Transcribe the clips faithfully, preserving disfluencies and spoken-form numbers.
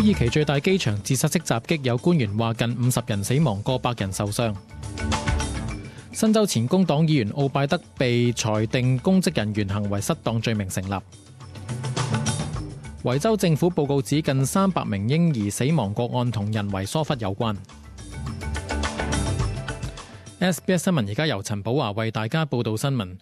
耳其最大機場自殺式襲擊，有官員話近五十人死亡，過百人受傷。新州前工黨議員奧拜德被裁定公職人員行為失當罪名成立。維州政府報告指近三百名嬰兒死亡個案同人為疏忽有關。S B S 新聞而家由陳寶華為大家報道新聞。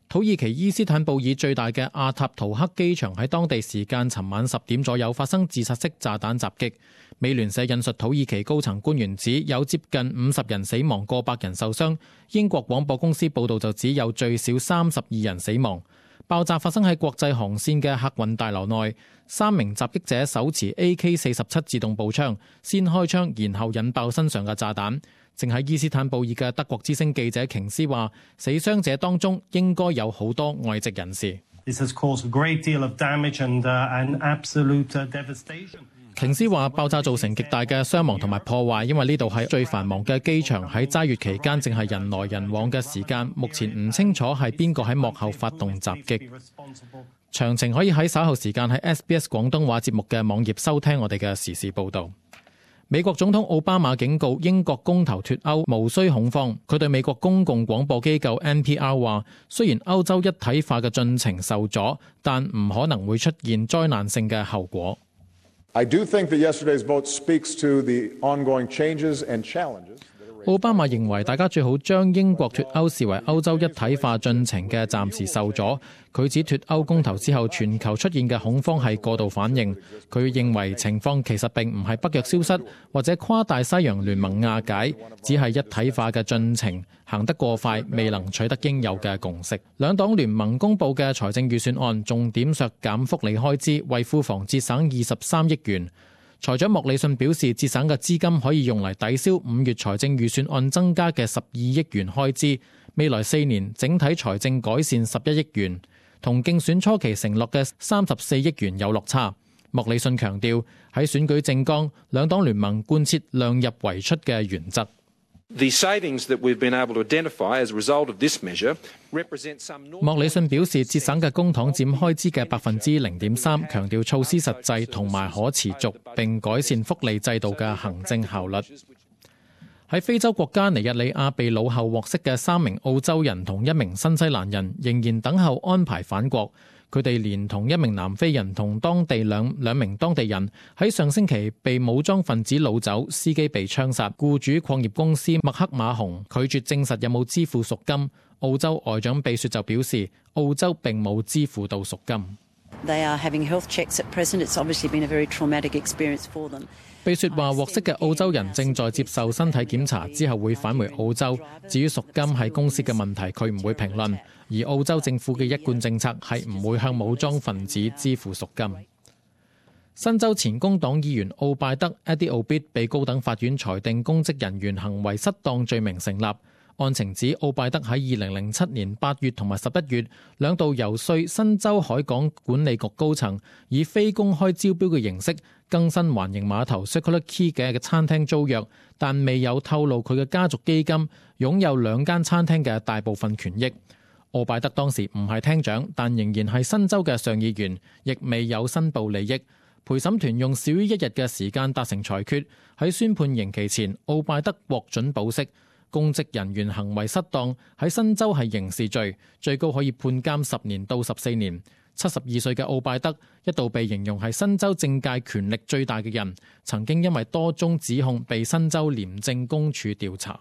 土耳其伊斯坦布爾最大嘅阿塔圖克機場喺當地時間尋晚十點左右發生自殺式炸彈襲擊。美聯社引述土耳其高層官員指有接近五十人死亡，過百人受傷。英國廣播公司報道就指有最少三十二人死亡。爆炸發生喺國際航線嘅客運大樓內，三名襲擊者手持 A K 四十七自動步槍，先開槍，然後引爆身上嘅炸彈。正喺伊斯坦布爾嘅德國之聲記者瓊斯話，死傷者當中應該有好多外籍人士。This has caused a great deal of damage and, uh, and absolute devastation. 瓊斯話爆炸造成極大嘅傷亡同埋破壞，因為呢度係最繁忙嘅機場，喺齋月期間正係人來人往嘅時間，目前唔清楚係邊個喺幕後發動襲擊。詳情可以喺稍後時間喺 S B S 廣東話節目嘅網頁收聽我哋嘅時事報導。美國總統奧巴馬警告英國公投脫歐無需恐慌。佢對美國公共廣播機構 N P R 話，雖然歐洲一體化嘅進程受阻，但唔可能會出現災難性嘅後果。I do think that yesterday's vote speaks to the ongoing changes and challenges. 奧巴馬認為大家最好將英國脫歐視為歐洲一體化進程嘅暫時受阻。佢指脫歐公投之後全球出現嘅恐慌係過度反應。佢認為情況其實並唔係北約消失或者跨大西洋聯盟瓦解，只係一體化嘅進程行得過快，未能取得應有嘅共識。兩黨聯盟公佈嘅財政預算案重點削減福利開支，為庫房節省二十三億元。財長莫里遜表示，節省嘅資金可以用嚟抵消五月財政預算案增加嘅十二億元開支，未來四年整體財政改善十一億元，同競選初期承諾嘅三十四億元有落差。莫里遜強調，喺選舉政綱，兩黨聯盟貫徹量入為出嘅原則。The savings that we've been able to identify as a result of this measure represent some normal... 莫里遜表示，節省嘅公帑佔開支嘅百分之零點三，強調措施實際同埋可持續，並改善福利制度嘅行政效率。喺非洲國家尼日利亞被擄後獲釋嘅三名澳洲人同一名新西蘭人仍然等候安排返國。佢哋連同一名南非人同當地兩兩名當地人喺上星期被武裝分子擄走，司機被槍殺。僱主礦業公司麥克馬洪拒絕證實有冇支付贖金。澳洲外長秘書就表示，澳洲並冇支付到贖金。They are having health checks at present. It's obviously been a very traumatic experience for them. 秘書話，獲釋嘅澳洲人正在接受身體檢查，之後會返回澳洲。至於贖金係公司嘅問題，佢唔會評論。而澳洲政府嘅一貫政策係唔會向武裝分子支付贖金。新州前工黨議員奧拜德 Eddie Obeid 被高等法院裁定公職人員行為失當罪名成立。案情指奧拜德喺二零零七年八月同埋十一月兩度游說新州海港管理局高層，以非公開招標嘅形式更新環形碼頭 Circular Quay 嘅餐廳租約，但未有透露佢嘅家族基金擁有兩間餐廳嘅大部分權益。奧拜德當時唔係廳長，但仍然係新州嘅上議員，亦未有申報利益。陪審團用少於一日嘅時間達成裁決，喺宣判刑期前，奧拜德獲准保釋。公職人員行為失當喺新州係刑事罪，最高可以判監十年到十四年。七十二歲嘅奧拜德一度被形容係新州政界權力最大嘅人，曾經因為多宗指控被新州廉政公署調查。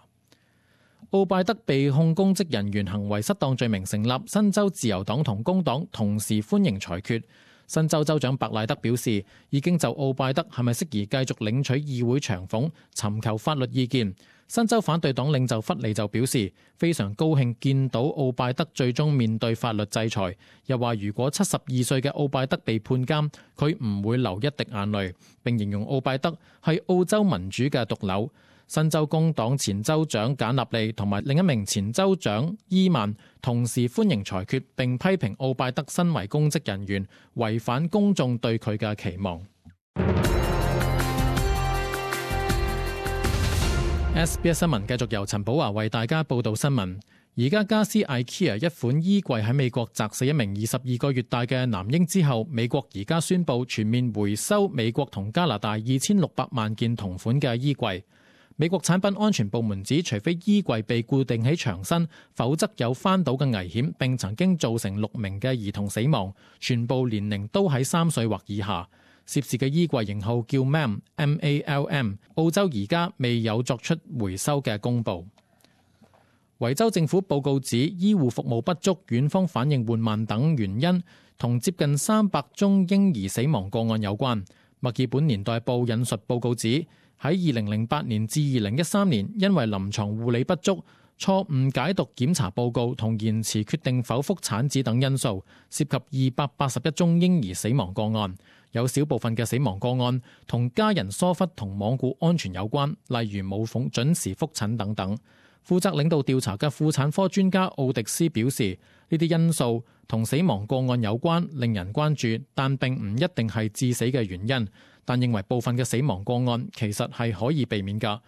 奧拜德被控公職人員行為失當罪名成立，新州自由黨同工黨同時歡迎裁決。新州州長白賴德表示，已經就奧拜德係咪適宜繼續領取議會長俸尋求法律意見。新州反對黨領袖弗利就表示，非常高興見到奧拜德最終面對法律制裁，又話如果七十二歲嘅奧拜德被判監，佢唔會流一滴眼淚，並形容奧拜德係澳洲民主嘅毒瘤。新州工黨前州長簡納利同埋另一名前州長伊曼同時歡迎裁決，並批評奧拜德身為公職人員違反公眾對佢嘅期望。S B S 新聞繼續由陳寶華為大家報道新聞。宜家家私 IKEA 一款衣櫃喺美國砸死一名二十二個月大嘅男嬰之後，美國而家宣布全面回收美國同加拿大二千六百萬件同款嘅衣櫃。美國產品安全部門指，除非衣櫃被固定喺牆身，否則有翻倒嘅危險，並曾經造成六名嘅兒童死亡，全部年齡都喺三歲或以下。涉事嘅衣櫃型號叫 M A L M A L M， 澳洲而家未有作出回收嘅公佈。維州政府報告指，醫護服務不足、院方反應緩慢等原因，同接近三百宗嬰兒死亡個案有關。墨爾本年代報引述報告指，喺二零零八年至二零一三年，因為臨床護理不足、錯誤解讀檢查報告同延遲決定剖腹產子等因素，涉及二百八十一宗嬰兒死亡個案。有少部分嘅死亡個案同家人疏忽同罔顧安全有關，例如冇奉準時覆診等等。負責領導調查嘅婦產科專家奧迪斯表示，呢啲因素同死亡個案有關，令人關注，但並唔一定係致死嘅原因。但認為部分嘅死亡個案其實係可以避免㗎。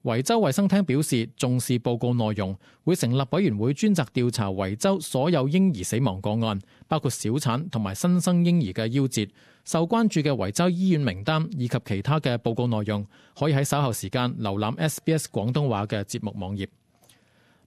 維州衛生廳表示重視報告內容，會成立委員會專責調查維州所有嬰兒死亡個案，包括小產同埋新生嬰兒嘅夭折。受關注嘅維州醫院名單以及其他嘅報告內容，可以喺稍後時間瀏覽 S B S 廣東話嘅節目網頁。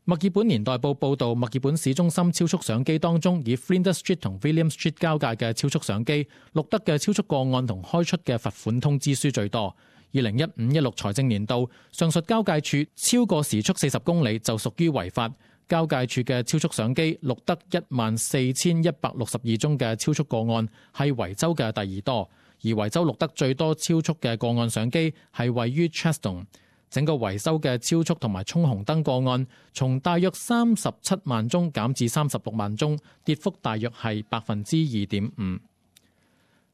墨爾本年代報報導，墨爾本市中心超速相機當中，以 Flinders Street 同 William Street 交界嘅超速相機錄得嘅超速個案同開出嘅罰款通知書最多。二零一五一六財政年度，上述交界處超過時速四十公里就屬於違法。交界處嘅超速相機錄得一萬四千一百六十二宗嘅超速個案，係維州嘅第二多。而維州錄得最多超速嘅個案相機係位於 Cheston。整個維州嘅超速同埋衝紅燈個案，從大約三十七萬宗減至三十六萬宗，跌幅大約係百分之二點五。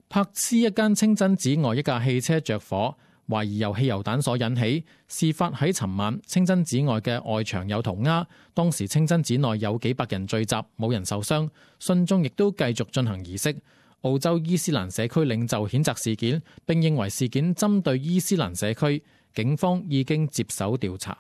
柏斯一間清真寺外一架汽車着火，懷疑由汽油彈所引起。事發喺尋晚，清真寺外嘅外牆有塗鴉，當時清真寺內有幾百人聚集，冇人受傷，信眾亦都繼續進行儀式。澳洲伊斯蘭社區領袖譴責事件，並認為事件針對伊斯蘭社區。警方已經接手調查。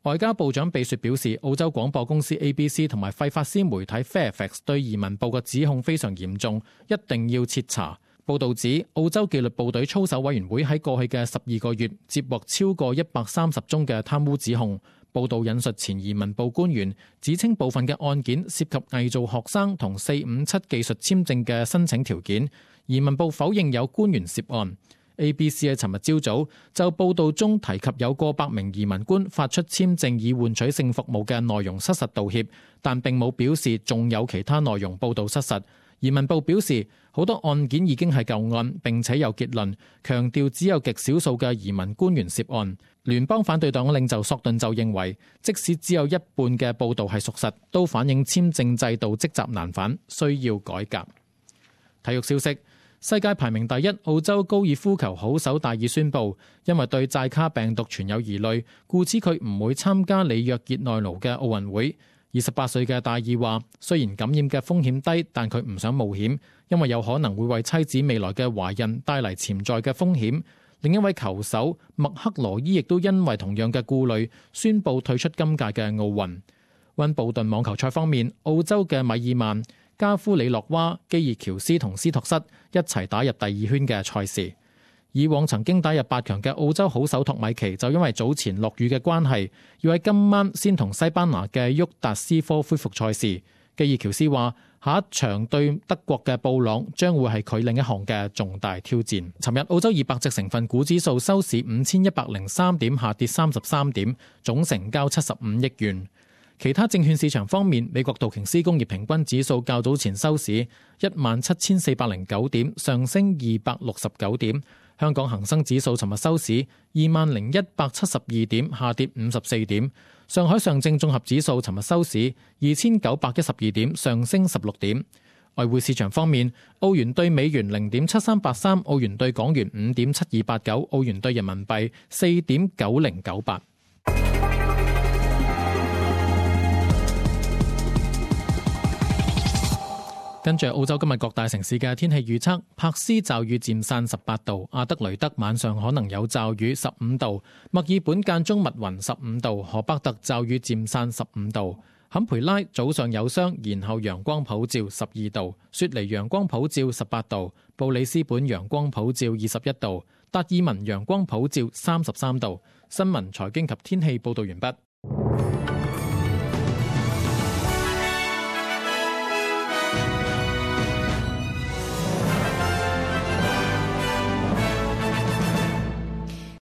外交部長貝雪表示，澳洲廣播公司 A B C 同埋費法斯媒體 Fairfax 對移民部嘅指控非常嚴重，一定要徹查。報導指，澳洲紀律部隊操守委員會喺過去嘅十二個月接獲超過一百三十宗嘅貪污指控。報導引述前移民部官員指稱，部分嘅案件涉及偽造學生同四五七技術簽證嘅申請條件。移民部否認有官員涉案。A B C 喺尋日朝早就報道中提及有過百名移民官發出簽證以換取性服務嘅內容失實道歉，但並冇表示仲有其他內容報道失實。移民部表示，好多案件已經係舊案，並且有結論，強調只有極少數嘅移民官員涉案。聯邦反對黨領袖索頓就認為，即使只有一半嘅報道係屬實，都反映簽證制度積習難返，需要改革。體育消息。世界排名第一澳洲高爾夫球好手戴爾宣布，因為對寨卡病毒存有疑慮，故此佢唔會參加里約熱內盧嘅奧運會。二十八歲嘅戴爾話，雖然感染嘅風險低，但佢唔想冒險，因為有可能會為妻子未來嘅懷孕帶嚟潛在嘅風險。另一位球手麥克羅伊亦都因為同樣嘅顧慮，宣布退出今屆嘅奧運。溫布頓網球賽方面，澳洲嘅米爾曼、加夫里洛娃、基爾喬斯同斯托瑟一齊打入第二圈嘅賽事。以往曾經打入八強嘅澳洲好手托米奇就因為早前落雨嘅關係，要喺今晚先同西班牙嘅沃達斯科恢復賽事。基爾喬斯話，下一場對德國嘅布朗將會係佢另一項嘅重大挑戰。尋日澳洲二百隻成分股指數收市五千一百零三點，下跌三十三點，總成交七十五億元。其他證券市場方面，美國道瓊斯工業平均指數較早前收市一萬七千四百零九點，上升二百六十九點。香港恒生指數尋日收市二萬零一百七十二點，下跌五十四點。上海上證綜合指數尋日收市二千九百一十二點，上升十六點。外匯市場方面，澳元對美元零點七三八三，澳元對港元五點七二八九，澳元對人民幣四點九零九八。跟住澳洲今日各大城市嘅天氣預測，柏斯驟雨漸散十八度，阿德雷德晚上可能有驟雨十五度，墨爾本間中密雲十五度，荷伯特驟雨漸散十五度，坎培拉早上有霜，然後陽光普照十二度，雪梨陽光普照十八度，布里斯本陽光普照二十一度，達爾文陽光普照三十三度。新聞財經及天氣報導完畢。